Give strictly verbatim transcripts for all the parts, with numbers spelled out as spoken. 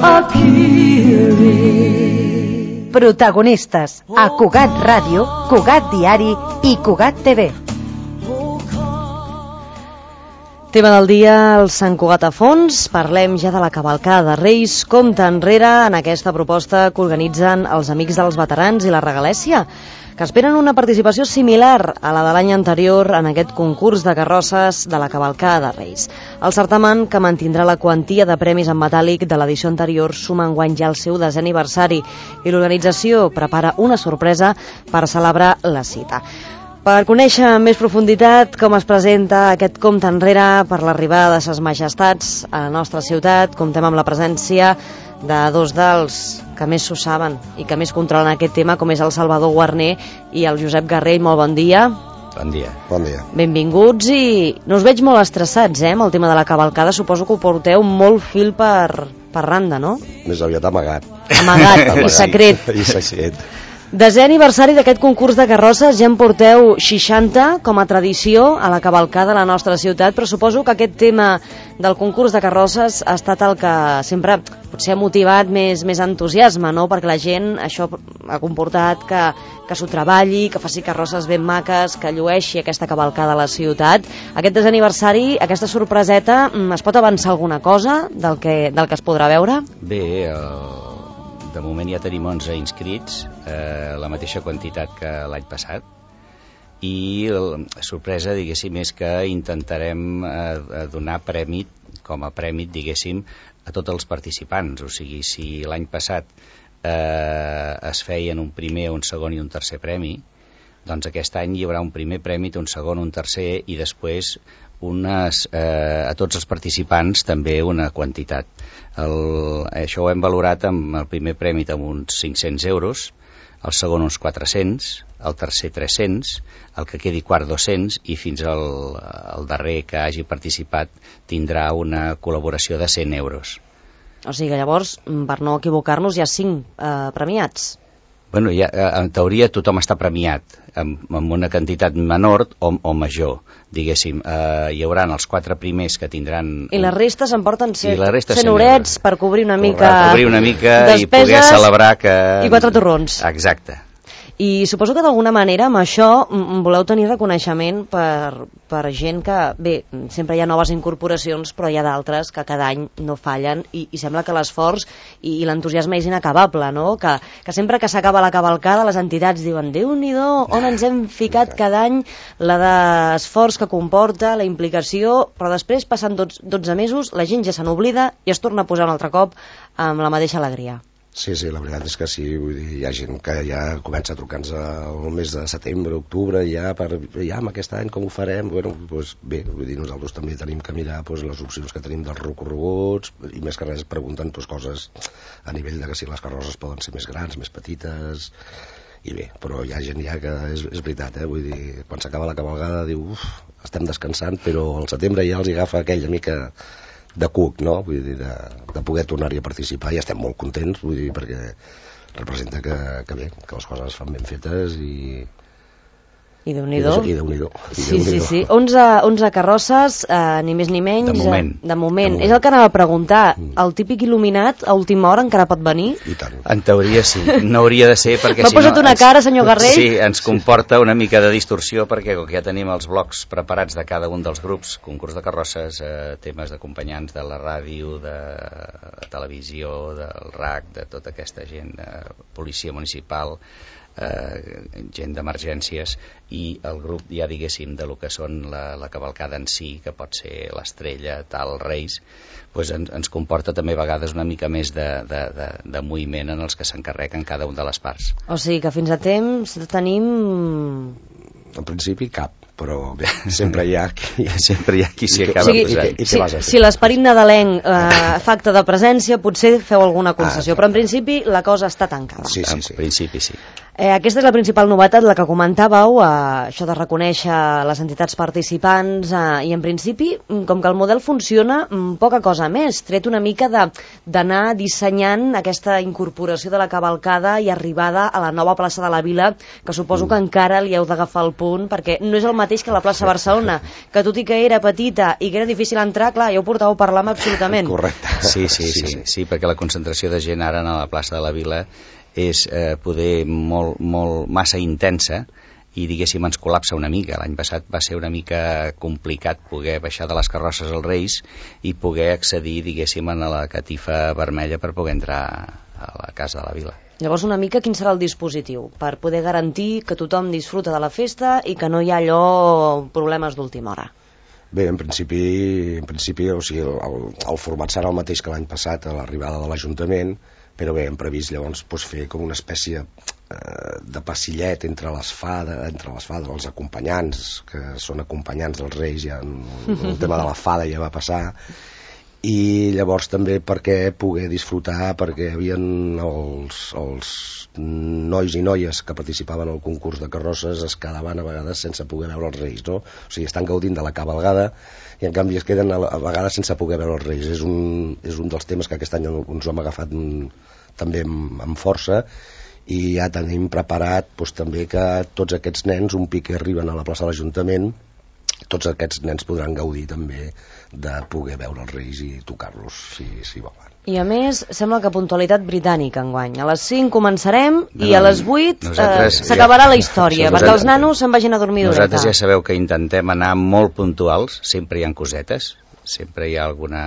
appearing. Protagonistes a Cugat Ràdio, Cugat Diari i Cugat T V. Tema del dia, el Sant Cugat a fons. Parlem ja de la cavalcada de Reis. Compte enrere en aquesta proposta que organitzen els Amics dels Veterans i la Regalèssia, que esperen una participació similar a la de l'any anterior en aquest concurs de carrosses de la cavalcada de Reis. El certamen, que mantindrà la quantia de premis en metàl·lic de l'edició anterior, suma enguany ja el seu desè aniversari i l'organització prepara una sorpresa per celebrar la cita. Per conèixer amb més profunditat com es presenta aquest compte enrere per l'arribada de ses majestats a la nostra ciutat, comptem amb la presència de dos dels que més s'ho saben i que més controlen aquest tema, com és el Salvador Guarner i el Josep Garrell. Molt bon dia. Bon dia. Bon dia. Benvinguts, i no us veig molt estressats, eh, amb el tema de la cavalcada. Suposo que ho porteu molt fil per, per randa, no? Més aviat amagat. Amagat, i secret. I secret. Desè aniversari d'aquest concurs de carrosses, ja en porteu seixanta com a tradició a la cavalcada de la nostra ciutat, però suposo que aquest tema del concurs de carrosses ha estat el que sempre potser ha motivat més, més entusiasme, no? Perquè la gent, això ha comportat que, que s'ho treballi, que faci carrosses ben maques, que llueixi aquesta cavalcada a la ciutat. Aquest desè aniversari, aquesta sorpreseta, es pot avançar alguna cosa del que, del que es podrà veure? Bé, el... de moment ja tenim onze inscrits, eh, la mateixa quantitat que l'any passat, i la sorpresa, diguéssim, és que intentarem eh, donar premi, com a premi, diguéssim, a tots els participants. O sigui, si l'any passat eh, es feien un primer, un segon i un tercer premi, doncs aquest any hi haurà un primer premi, un segon, un tercer, i després unes, eh, a tots els participants també una quantitat. El, això ho hem valorat amb el primer premi amb uns cinc-cents euros, el segon uns quatre-cents, el tercer tres-cents, el que quedi quart dos-cents, i fins al, al darrer que hagi participat tindrà una col·laboració de cent euros. O sigui que llavors, per no equivocar-nos, hi ha cinc eh, premiats. Bueno, ja, en teoria tothom està premiat amb, amb una quantitat menor o, o major, diguéssim. Eh, hi haurà els quatre primers que tindran... I la resta s'emporten cent cent horets per cobrir una mica... Per cobrir una mica despeses, i poder celebrar que... I quatre torrons. Exacte. I suposo que d'alguna manera amb això voleu tenir reconeixement per, per gent que, bé, sempre hi ha noves incorporacions, però hi ha d'altres que cada any no fallen, i, i sembla que l'esforç i, i l'entusiasme és inacabable, no? Que, que sempre que s'acaba la cavalcada les entitats diuen, Déu-n'hi-do, on ens hem ficat cada any, la d'esforç que comporta, la implicació, però després, passant dotze mesos, la gent ja se n'oblida i es torna a posar un altre cop amb la mateixa alegria. Sí, sí, la veritat és que sí, vull dir, hi ha gent que ja comença a trucar-nos el mes de setembre, octubre, ja, per, ja amb aquest any com ho farem? Bueno, doncs bé, vull dir, nosaltres també tenim que mirar doncs, les opcions que tenim dels recorreguts, i més que res pregunten doncs, coses a nivell de que si les carrosses poden ser més grans, més petites, i bé, però hi ha gent ja que és, és veritat, eh? Vull dir, quan s'acaba la cavalgada diu, uf, estem descansant, però al setembre ja els agafa aquella mica de cuc, no? Vull dir, de, de poder tornar-hi a participar, i estem molt contents, vull dir, perquè representa que, que bé, que les coses es fan ben fetes i... I Déu-n'hi-do. I Déu-n'hi-do. Sí, sí, sí. onze, onze carrosses, eh, ni més ni menys. De moment. Eh, de moment. De moment. És el que anava a preguntar. El típic il·luminat a última hora encara pot venir? I tant. En teoria sí. No hauria de ser perquè M'ha si no... posat una ens, cara, senyor Garrell? Sí, ens comporta una mica de distorsió, perquè com que ja tenim els blocs preparats de cada un dels grups, concurs de carrosses, eh, temes d'acompanyants de la ràdio, de televisió, del R A C, de tota aquesta gent, eh, policia municipal, eh, gent d'emergències, i el grup, ja diguéssim, de lo que són la, la cavalcada en si, que pot ser l'estrella, tal, Reis, pues ens, ens comporta també a vegades una mica més de, de, de, de moviment en els que s'encarreguen cada una de les parts. O sigui que fins a temps tenim... En principi cap, però bé, sempre hi ha qui, sempre hi ha qui s'hi acaba o sigui, posant. I què si, vas a fer? si l'esperit nadalenc eh, fa acte de presència, potser feu alguna concessió, Ah, però en principi la cosa està tancada. Sí, sí, En sí. principi sí. Eh, aquesta és la principal novetat, la que comentàveu, eh, això de reconèixer les entitats participants, eh, i en principi, com que el model funciona, poca cosa més, tret una mica d'anar dissenyant aquesta incorporació de la cavalcada i arribada a la nova plaça de la Vila, que suposo que encara li heu d'agafar el punt, perquè no és el mateix que la plaça Barcelona, que tot i que era petita i que era difícil entrar, clar, ja ho portàveu a parlar absolutament. Correcte. Sí, sí, sí, sí, sí, perquè la concentració de gent ara a la plaça de la Vila és eh, poder molt, molt massa intensa i diguéssim ens col·lapsa una mica. L'any passat va ser una mica complicat poder baixar de les carrosses als Reis i poder accedir diguéssim a la catifa vermella per poder entrar a la casa de la Vila. Llavors una mica quin serà el dispositiu per poder garantir que tothom disfruta de la festa i que no hi ha allò problemes d'última hora? Bé, en principi, en principi o sigui, el, el format serà el mateix que l'any passat a l'arribada de l'Ajuntament, però bé, hem previst llavors doncs, fer com una espècie eh, de passillet entre les fades, entre les fades, els acompanyants, que són acompanyants dels Reis, ja en, el tema de la fada ja va passar, i llavors també perquè poder disfrutar, perquè hi havia els, els nois i noies que participaven al concurs de carrosses es quedaven a vegades sense poder veure els Reis, no? O sigui, estan gaudint de la cavalgada i en canvi es queden a, a vegades sense poder veure els Reis. És un, és un dels temes que aquest any ens ho hem agafat també amb, amb força, i ja tenim preparat doncs, també que tots aquests nens, un pic que arriben a la plaça de l'Ajuntament, tots aquests nens podran gaudir també de poder veure els Reis i tocar-los si, si volen. I a més, sembla que puntualitat britànica enguany. A les cinc començarem no, i a les vuit eh, s'acabarà ja, la història, ja, perquè els nanos se'n vagin a dormir d'horeta. Nosaltres ja sabeu que intentem anar molt puntuals, sempre hi ha cosetes, sempre hi ha alguna,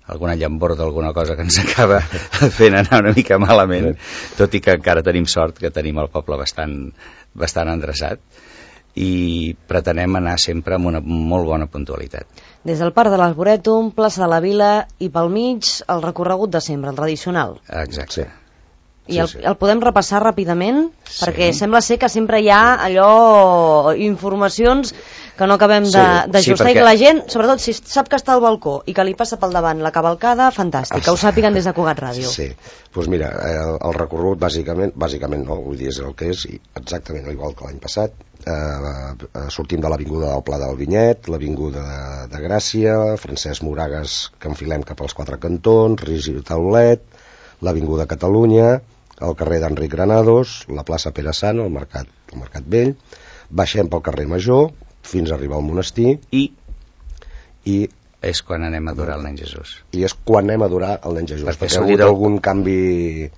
alguna llamborda, alguna cosa que ens acaba fent anar una mica malament, tot i que encara tenim sort, que tenim el poble bastant, bastant endreçat, i pretenem anar sempre amb una molt bona puntualitat. Des del Parc de l'Arborètum, plaça de la Vila i pel mig el recorregut de sempre, el tradicional. Exacte. I el, el podem repassar ràpidament? Sí. Perquè sembla ser que sempre hi ha allò, informacions que no acabem d'ajustar sí, sí, perquè... i que la gent, sobretot si sap que està al balcó i que li passa pel davant la cavalcada, fantàstic, que ho sàpiguen des de Cugat Ràdio. Sí, doncs pues mira, el, el recorregut bàsicament, bàsicament no, vull dir, és el que és exactament igual que l'any passat. Eh, sortim de l'Avinguda del Pla del Vinyet, l'Avinguda de, de Gràcia, Francesc Moragas, que enfilem cap als quatre cantons, Rigi Taulet, l'Avinguda Catalunya, el carrer d'Enric Granados, la plaça Pere Sant, el Mercat, el Mercat Vell, baixem pel carrer Major fins a arribar al monestir i, i és quan anem a adorar el nen Jesús. I és quan anem a adorar el nen Jesús, perquè, perquè ha hagut algun canvi,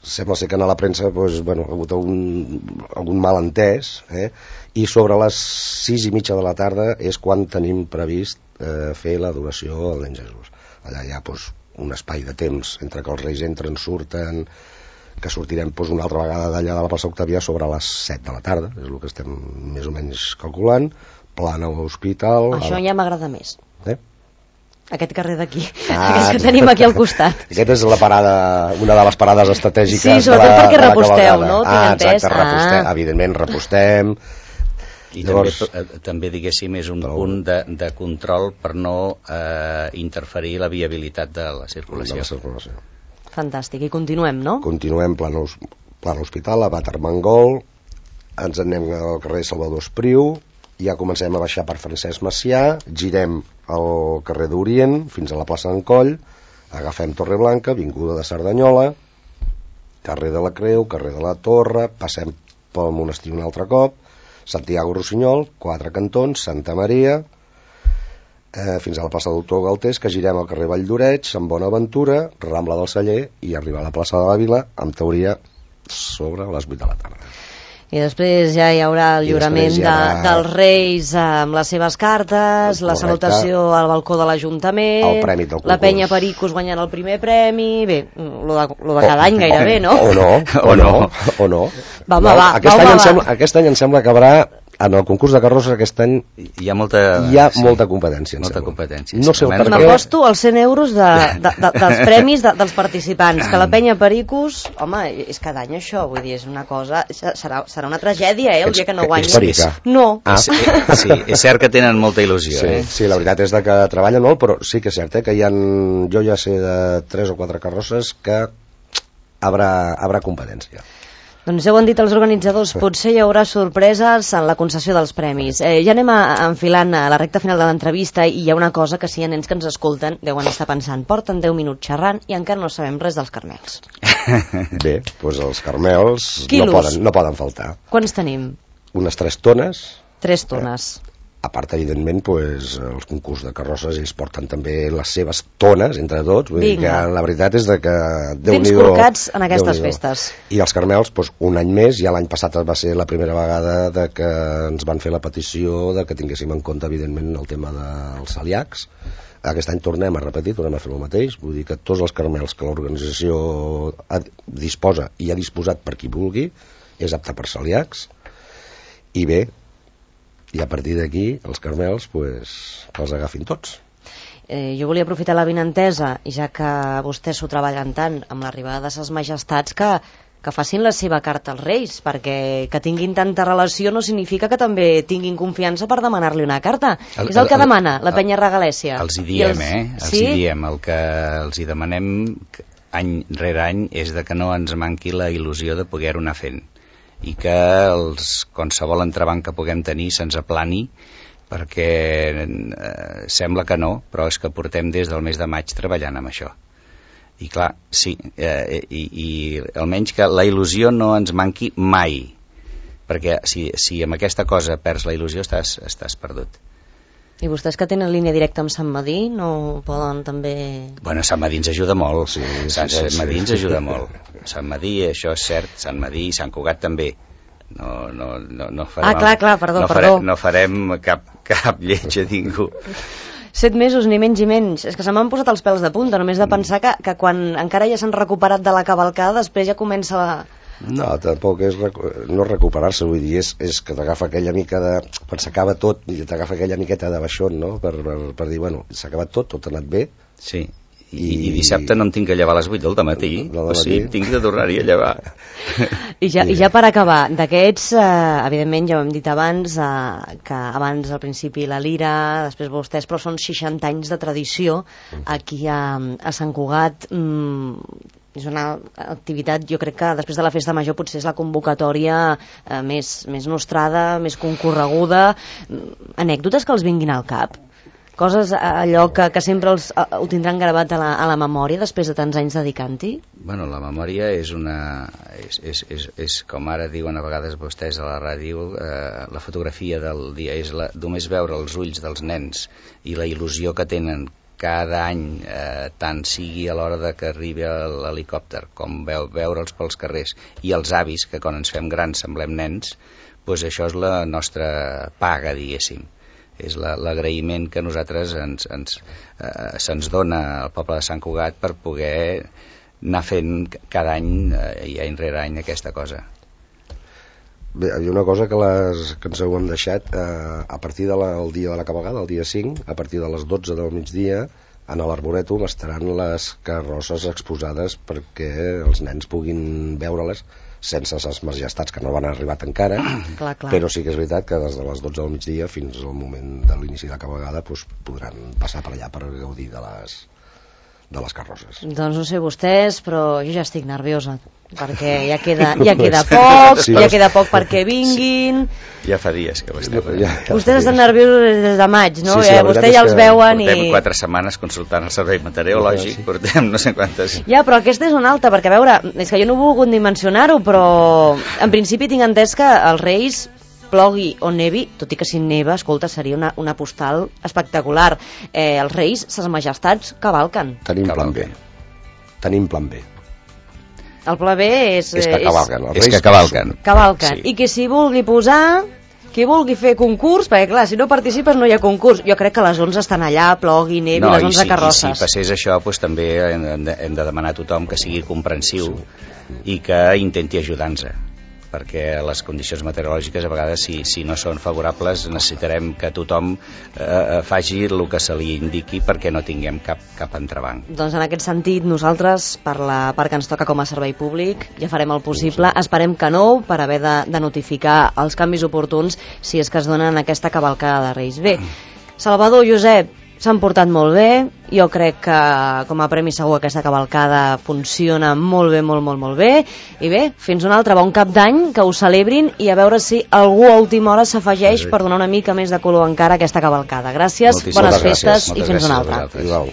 sembla ser que a la premsa doncs, bueno, ha hagut algun, algun malentès, eh? I sobre les sis i mitja de la tarda és quan tenim previst eh, fer l'adoració al nen Jesús. Allà hi ha doncs, un espai de temps entre que els Reis entren, surten, que sortirem doncs, una altra vegada d'allà de la plaça Octavià sobre les set de la tarda, és el que estem més o menys calculant, plana a l'hospital... Això ja m'agrada més. Eh? Aquest carrer d'aquí, ah, aquest que tenim aquí al costat. Aquesta és la parada, una de les parades estratègiques sí, de la, perquè de la reposteu, no? Ah, exacte, repostem, ah. evidentment repostem. I Llavors, també, també, diguéssim, és un però, punt de, de control per no eh, interferir la viabilitat de la circulació. De la circulació. Fantàstic, i continuem, no? Continuem plan, plan hospital, a Bat Armengol, ens anem al carrer Salvador Espriu, ja comencem a baixar per Francesc Macià, girem al carrer d'Orient fins a la plaça d'Encoll, agafem Torreblanca, Avinguda de Cerdanyola, carrer de la Creu, carrer de la Torre, passem pel monestir un altre cop, Santiago Rossinyol, quatre cantons, Santa Maria, eh, fins a la plaça Doctor Galtés, que girem al carrer Valldoreig, Sant Bonaventura, Rambla del Celler i arribar a la plaça de la Vila, en teoria sobre les vuit de la tarda. I després ja hi haurà el lliurament de, ha... dels Reis amb les seves cartes, la salutació al balcó de l'Ajuntament, la penya Pericos guanyant el primer premi, bé, lo de, lo de cada any gairebé, no? O no, o no, o no. Va, va, va. Aquest, any, em sembla, aquest any em sembla que haurà, en el concurs de carrosses aquest any hi ha molta, hi ha sí, molta competència. Molta competència. No sé per què. M'aposto els cent euros de, de, de, dels premis de, dels participants, que la penya Pericos, home, és cada any això, vull dir, és una cosa, serà, serà una tragèdia, eh, el dia que no guanyi. Ets no. Ah. Sí, sí, és cert que tenen molta il·lusió. Sí, eh? sí, la veritat és de que treballen molt, però sí que és cert, eh, que hi ha, jo ja sé de tres o quatre carrosses que haurà, haurà competència. Doncs ja ho han dit els organitzadors, potser hi haurà sorpreses en la concessió dels premis. Eh, ja anem a, a enfilant a la recta final de l'entrevista i hi ha una cosa que si hi ha nens que ens escolten deuen estar pensant, porten deu minuts xerrant i encara no sabem res dels carmels. Bé, doncs els carmels Quilos. no poden, no poden faltar. Quants tenim? Unes tres tones. Tres tones. Eh, a part, evidentment, pues, els concurs de carrosses ells porten també les seves tones entre tots, vull dir que la veritat és de que Vins corcats en aquestes festes. I els carmels, pues, un any més, ja l'any passat va ser la primera vegada de que ens van fer la petició de que tinguéssim en compte evidentment el tema dels celíacs. Aquest any tornem a repetir, tornem a fer el mateix, vull dir que tots els carmels que l'organització disposa i ha disposat per qui vulgui és apte per celíacs. I bé, i a partir d'aquí els carmels pues, els agafin tots. Eh, jo volia aprofitar la vinentesa, i ja que vostès s'ho treballen tant amb l'arribada de ses majestats, que, que facin la seva carta als Reis, perquè que tinguin tanta relació no significa que també tinguin confiança per demanar-li una carta. El, és el que el, demana la penya regalèssia. Els hi diem, els, eh? Els sí? hi diem. El que els hi demanem any rere any és de que no ens manqui la il·lusió de poder-ho anar fent, i que els, qualsevol entrebanc que puguem tenir se'ns aplani, perquè eh, sembla que no, però és que portem des del mes de maig treballant amb això. I clar, sí, eh, i, i almenys que la il·lusió no ens manqui mai, perquè si, si amb aquesta cosa perds la il·lusió estàs, estàs perdut. I vostès que tenen línia directa amb Sant Madí no poden també... Bueno, Sant Madí ens ajuda molt, sí, Sant sí, sí, Madí sí. ens ajuda molt. Sant Madí, això és cert, Sant Madí i Sant Cugat també. No, no, no, no farem, ah, clar, clar, perdó, no perdó. Farem, no farem cap, cap lleig a ningú. Set mesos, ni menys i menys. És que se m'han posat els pèls de punta, només de pensar que, que quan encara ja s'han recuperat de la cavalcada, després ja comença la... No, tampoc és no recuperar-se, vull dir, és, és que t'agafa aquella mica de... quan s'acaba tot, i t'agafa aquella miqueta de baixón, no?, per, per, per dir, bueno, s'ha acabat tot, tot ha anat bé. Sí, i, i, i dissabte no em tinc que llevar a les vuit del dematí, o sigui, tinc de tornar-hi a llevar. I ja, I ja per acabar, d'aquests, eh, evidentment, ja ho hem dit abans, eh, que abans al principi la Lira, després vostès, però són seixanta anys de tradició aquí a, a Sant Cugat. Mm, és una activitat, jo crec que després de la festa major potser és la convocatòria eh, més, més nostrada, més concorreguda. Anècdotes que els vinguin al cap? Coses, allò que, que sempre els, ho tindran gravat a la, a la memòria després de tants anys dedicant-hi? Bueno, la memòria és una... És, és, és, és com ara diuen a vegades vostès a la ràdio, eh, la fotografia del dia és la, només veure els ulls dels nens i la il·lusió que tenen cada any, eh, tant sigui a l'hora de que arribi l'helicòpter com veu, veure'ls pels carrers, i els avis, que quan ens fem grans semblem nens, doncs això és la nostra paga, diguéssim. És l'agraïment que nosaltres ens, ens, eh, se'ns dona al poble de Sant Cugat per poder anar fent cada any eh, i any rere any aquesta cosa. Bé, hi ha una cosa que, les, que ens heu deixat eh, a partir del de dia de la cavalcada, el dia cinc, a partir de les dotze del migdia, en l'Arborètum estaran les carrosses exposades perquè els nens puguin veure-les sense les majestats que no van arribat encara, clar, clar. Però sí que és veritat que des de les dotze del migdia fins al moment de l'inici de la cavalcada doncs, podran passar per allà per gaudir de les, de les carrosses. Doncs no sé vostès, però jo ja estic nerviosa, perquè ja queda, ja queda poc, sí, ja queda poc perquè vinguin. Sí. Ja fa dies que ho estem. Ja, ja vostès estan nerviosos des de maig, no? Sí, sí, eh, vostès ja els veuen i... Portem quatre setmanes consultant el servei meteorològic, sí. Portem no sé quantes... Ja, però aquesta és una alta, perquè a veure, és que jo no he volgut dimensionar-ho, però en principi tinc entès que els Reis, plogui o nevi, tot i que si neva, escolta, seria una, una postal espectacular. Eh, els Reis, ses majestats, cavalquen. Tenim plan B. Tenim plan B. El pla B és... És que cavalquen. És, és que cavalquen. Cavalquen. Sí. I que si vulgui posar, qui vulgui fer concurs, perquè clar, si no participes no hi ha concurs. Jo crec que les onze estan allà, plogui, nevi, no, les onze si, carrosses. I si passés això, doncs, també hem de, hem de demanar a tothom que sigui comprensiu sí. I que intenti ajudar-nos. Perquè les condicions meteorològiques a vegades si, si no són favorables necessitarem que tothom eh, faci el que se li indiqui perquè no tinguem cap, cap entrebanc. Doncs en aquest sentit nosaltres per la part que ens toca com a servei públic ja farem el possible, esperem que no per haver de, de notificar els canvis oportuns si és que es donen aquesta cavalcada de Reis. Bé, Salvador, Josep, s'han portat molt bé, jo crec que com a premi segur aquesta cavalcada funciona molt bé, molt, molt, molt bé, i bé, fins un altre bon cap d'any, que ho celebrin, i a veure si algú a última hora s'afegeix sí. per donar una mica més de color encara a aquesta cavalcada. Gràcies, moltíssimes bones gràcies, festes i fins una altra. Igual.